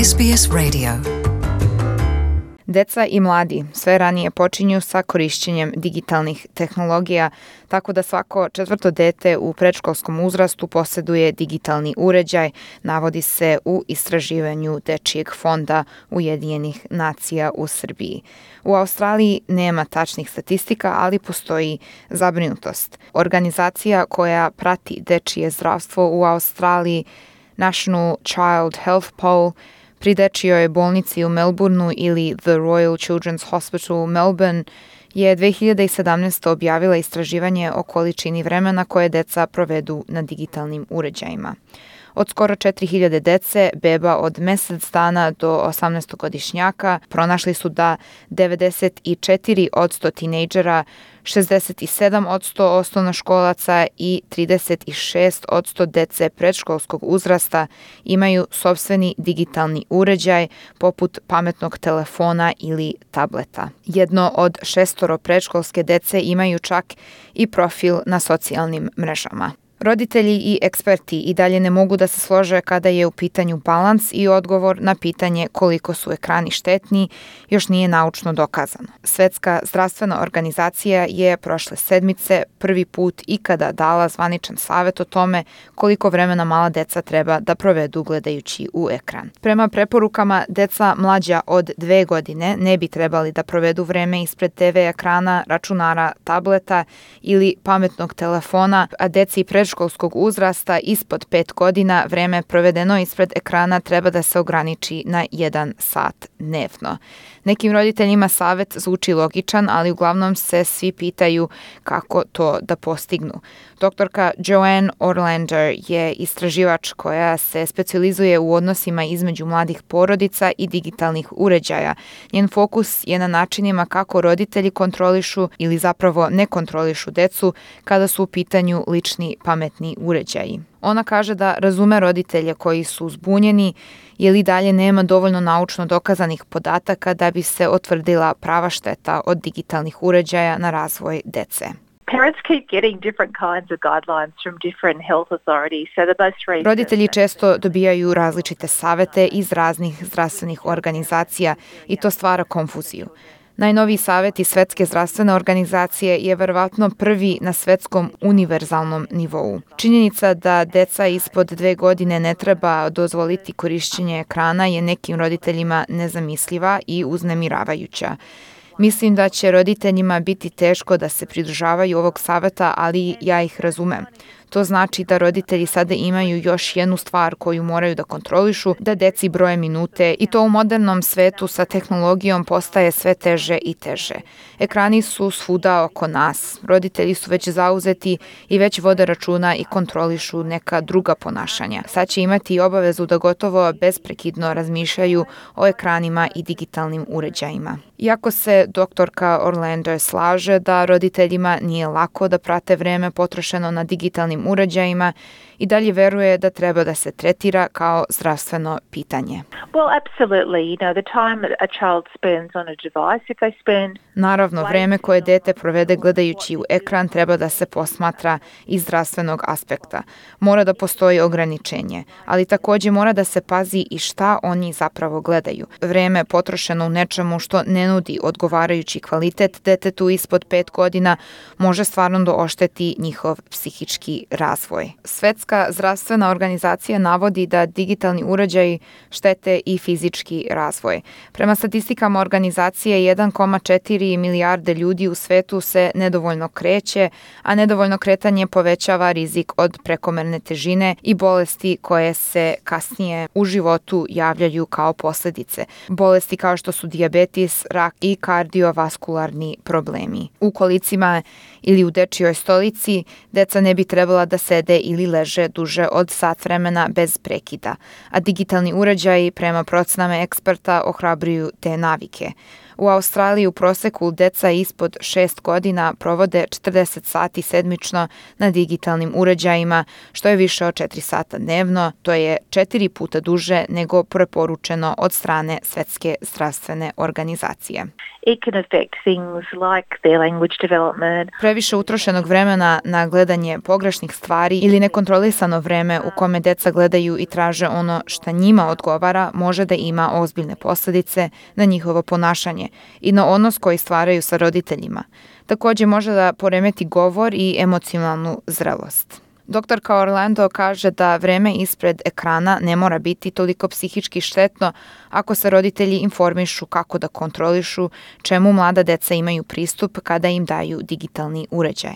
SBS Radio. Deca i mladi sve ranije počinju sa korišćenjem digitalnih tehnologija, tako da svako četvrto dete u predškolskom uzrastu posjeduje digitalni uređaj, navodi se u istraživanju Dečijeg fonda Ujedinjenih nacija u Srbiji. U Australiji nema tačnih statistika, ali postoji zabrinutost. Organizacija koja prati dečije zdravstvo u Australiji, National Child Health Poll, pri dečijoj bolnici u Melbourneu ili The Royal Children's Hospital u Melbourne je 2017. objavila istraživanje o količini vremena koje deca provedu na digitalnim uređajima. Od skoro 4000 dece, beba od mesec dana do 18-godišnjaka, pronašli su da 94% tinejdžera, 67% osnovnoškolaca i 36% dece predškolskog uzrasta imaju sopstveni digitalni uređaj poput pametnog telefona ili tableta. Jedno od 6 predškolske dece imaju čak i profil na socijalnim mrežama. Roditelji i eksperti i dalje ne mogu da se slože kada je u pitanju balans i odgovor na pitanje koliko su ekrani štetni još nije naučno dokazano. Svetska zdravstvena organizacija je prošle sedmice prvi put ikada dala zvaničan savjet o tome koliko vremena mala deca treba da provedu gledajući u ekran. Prema preporukama, deca mlađa od 2 godine ne bi trebali da provedu vreme ispred TV ekrana, računara, tableta ili pametnog telefona, a deci predškolskog uzrasta ispod 5 godina vreme provedeno ispred ekrana treba da se ograniči na 1 sat dnevno. Nekim roditeljima savjet zvuči logičan, ali uglavnom se svi pitaju kako to da postignu. Doktorka Joanne Orlander je istraživač koja se specijalizuje u odnosima između mladih porodica i digitalnih uređaja. Njen fokus je na načinima kako roditelji kontrolišu ili zapravo ne kontrolišu decu kada su u pitanju lični pametni uređaji. Ona kaže da razume roditelje koji su zbunjeni jer i dalje nema dovoljno naučno dokazanih podataka da bi se utvrdila prava šteta od digitalnih uređaja na razvoj dece. Roditelji često dobijaju različite savete iz raznih zdravstvenih organizacija i to stvara konfuziju. Najnoviji savjet iz Svetske zdravstvene organizacije je verovatno prvi na svetskom univerzalnom nivou. Činjenica da deca ispod 2 godine ne treba dozvoliti korišćenje ekrana je nekim roditeljima nezamisliva i uznemiravajuća. Mislim da će roditeljima biti teško da se pridržavaju ovog savjeta, ali ja ih razumem. To znači da roditelji sada imaju još jednu stvar koju moraju da kontrolišu, da deci broje minute i to u modernom svetu sa tehnologijom postaje sve teže i teže. Ekrani su svuda oko nas. Roditelji su već zauzeti i već vode računa i kontrolišu neka druga ponašanja. Sad će imati i obavezu da gotovo besprekidno razmišljaju o ekranima i digitalnim uređajima. Iako se doktorka Orlander slaže da roditeljima nije lako da prate vreme potrošeno na digitalnim uređajima, i dalje veruje da treba da se tretira kao zdravstveno pitanje. Naravno, vreme koje dete provede gledajući u ekran treba da se posmatra iz zdravstvenog aspekta. Mora da postoji ograničenje, ali također mora da se pazi i šta oni zapravo gledaju. Vreme potrošeno u nečemu što ne nudi odgovarajući kvalitet detetu ispod 5 godina može stvarno da ošteti njihov psihički razvoj. Svetska zdravstvena organizacija navodi da digitalni uređaji štete i fizički razvoj. Prema statistikama organizacije 1,4 milijarde ljudi u svetu se nedovoljno kreće, a nedovoljno kretanje povećava rizik od prekomerne težine i bolesti koje se kasnije u životu javljaju kao posljedice. Bolesti kao što su dijabetes, rak i kardiovaskularni problemi. U kolicima ili u dečijoj stolici deca ne bi trebala da sede ili leže duže od sat vremena bez prekida, a digitalni uređaji prema procenama eksperta ohrabruju te navike. U Australiji u proseku deca ispod 6 godina provode 40 sati sedmično na digitalnim uređajima, što je više od 4 sata dnevno, to je 4 puta duže nego preporučeno od strane Svetske zdravstvene organizacije. It can affect things like their language development. Previše utrošenog vremena na gledanje pogrešnih nevažnih stvari ili nekontrolisano vreme u kome deca gledaju i traže ono šta njima odgovara može da ima ozbiljne posljedice na njihovo ponašanje i na odnos koji stvaraju sa roditeljima. Također može da poremeti govor i emocionalnu zrelost. Doktorka Orlando kaže da vreme ispred ekrana ne mora biti toliko psihički štetno ako se roditelji informišu kako da kontrolišu čemu mlada deca imaju pristup kada im daju digitalni uređaj.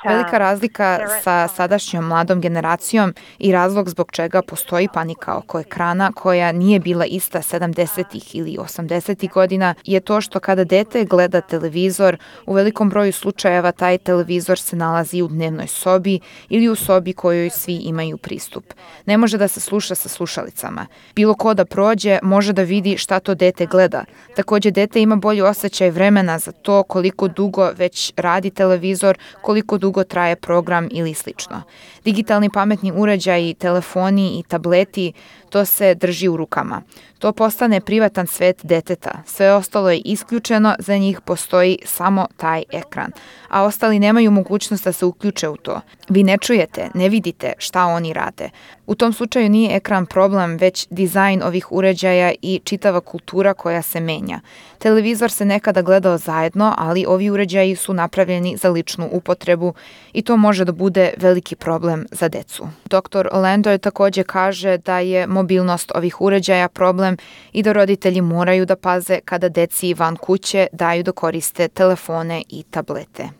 Velika razlika sa sadašnjom mladom generacijom i razlog zbog čega postoji panika oko ekrana koja nije bila ista 70. ili 80. godina je to što kada dete gleda televizor, u velikom broju slučajeva taj televizor se nalazi u dnevnoj sobi ili u sobi kojoj svi imaju pristup. Ne može da se sluša sa slušalicama. Bilo ko da prođe može da vidi šta to dete gleda. Također dete ima bolji osjećaj vremena za to koliko dugo već radi televizor, koliko dugo traje program ili slično. Digitalni pametni uređaji, telefoni i tableti, to se drži u rukama. To postane privatan svet deteta. Sve ostalo je isključeno, za njih postoji samo taj ekran. A ostali nemaju mogućnost da se uključe u to. Vi ne čujete, ne vidite šta oni rade. U tom slučaju nije ekran problem, već dizajn ovih uređaja i čitava kultura koja se menja. Televizor se nekada gledao zajedno, ali ovi uređaji su napravljeni za ličnu upotrebu i to može da bude veliki problem za decu. Dr. Orlando također kaže da je mobilnost ovih uređaja problem i da roditelji moraju da paze kada deci van kuće daju da koriste telefone i tablete.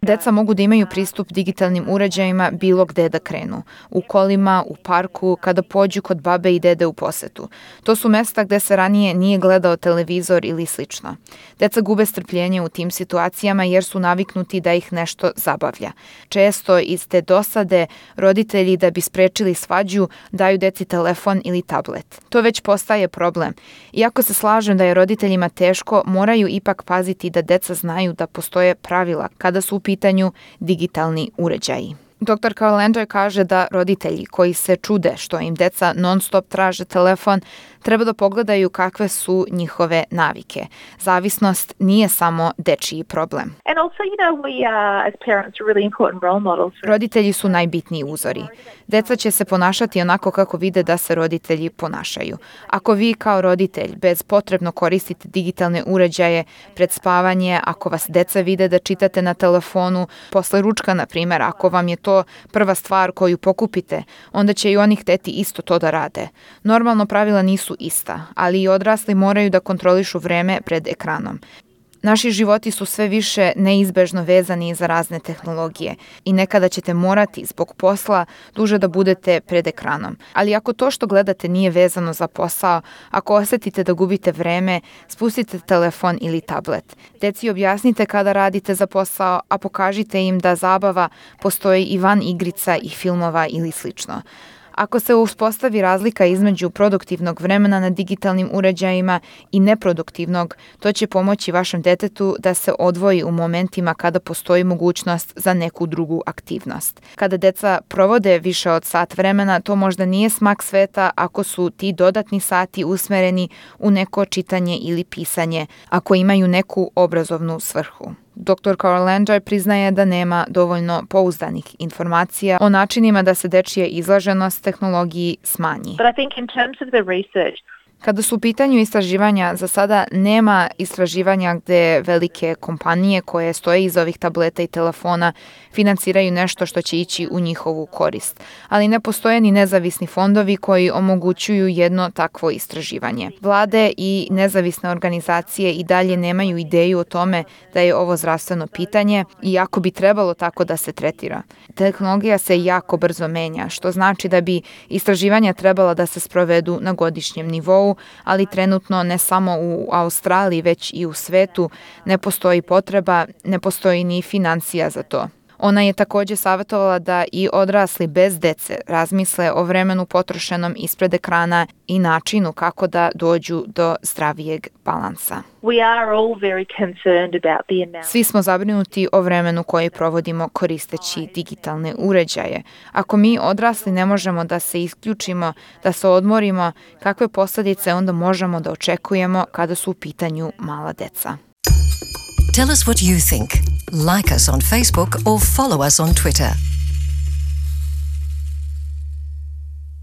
Deca mogu da imaju pristup digitalnim uređajima bilo gde da krenu. U kolima, u parku, kada pođu kod babe i dede u posetu. To su mesta gde se ranije nije gledao televizor ili slično. Deca gube strpljenje u tim situacijama jer su naviknuti da ih nešto zabavlja. Često iz te dosade roditelji da bi sprečili svađu daju deci telefon ili tablet. To već postaje problem. Iako se slažem da je roditeljima teško, moraju ipak paziti da deca znaju da postoje pravila kada su u pitanju digitalni uređaji. Dr. Orlando kaže da roditelji koji se čude što im deca non-stop traže telefon treba da pogledaju kakve su njihove navike. Zavisnost nije samo dečiji problem. Roditelji su najbitniji uzori. Deca će se ponašati onako kako vide da se roditelji ponašaju. Ako vi kao roditelj bezpotrebno koristite digitalne uređaje pred spavanje, ako vas deca vide da čitate na telefonu, posle ručka, na primjer, ako vam je to prva stvar koju pokupite, onda će i oni hteti isto to da rade. Normalno pravila nisu ista, ali i odrasli moraju da kontrolišu vreme pred ekranom. Naši životi su sve više neizbežno vezani za razne tehnologije i nekada ćete morati zbog posla duže da budete pred ekranom. Ali ako to što gledate nije vezano za posao, ako osjetite da gubite vreme, spustite telefon ili tablet. Deci objasnite kada radite za posao, a pokažite im da zabava postoji i van igrica i filmova ili slično. Ako se uspostavi razlika između produktivnog vremena na digitalnim uređajima i neproduktivnog, to će pomoći vašem detetu da se odvoji u momentima kada postoji mogućnost za neku drugu aktivnost. Kada deca provode više od sat vremena, to možda nije smak sveta ako su ti dodatni sati usmereni u neko čitanje ili pisanje, ako imaju neku obrazovnu svrhu. Dr. Orlando priznaje da nema dovoljno pouzdanih informacija o načinima da se dečija izloženost tehnologiji smanji. Kada su u pitanju istraživanja, za sada nema istraživanja gde velike kompanije koje stoje iza ovih tableta i telefona financiraju nešto što će ići u njihovu korist. Ali ne postoje ni nezavisni fondovi koji omogućuju jedno takvo istraživanje. Vlade i nezavisne organizacije i dalje nemaju ideju o tome da je ovo zdravstveno pitanje, iako bi trebalo tako da se tretira. Tehnologija se jako brzo menja, što znači da bi istraživanja trebala da se sprovedu na godišnjem nivou, ali trenutno ne samo u Australiji, već i u svetu ne postoji potreba, ne postoji ni financija za to. Ona je također savjetovala da i odrasli bez dece razmisle o vremenu potrošenom ispred ekrana i načinu kako da dođu do zdravijeg balansa. Svi smo zabrinuti o vremenu koje provodimo koristeći digitalne uređaje. Ako mi odrasli ne možemo da se isključimo, da se odmorimo, kakve posljedice onda možemo da očekujemo kada su u pitanju mala deca? Tell us what you think. Like us on Facebook or follow us on Twitter.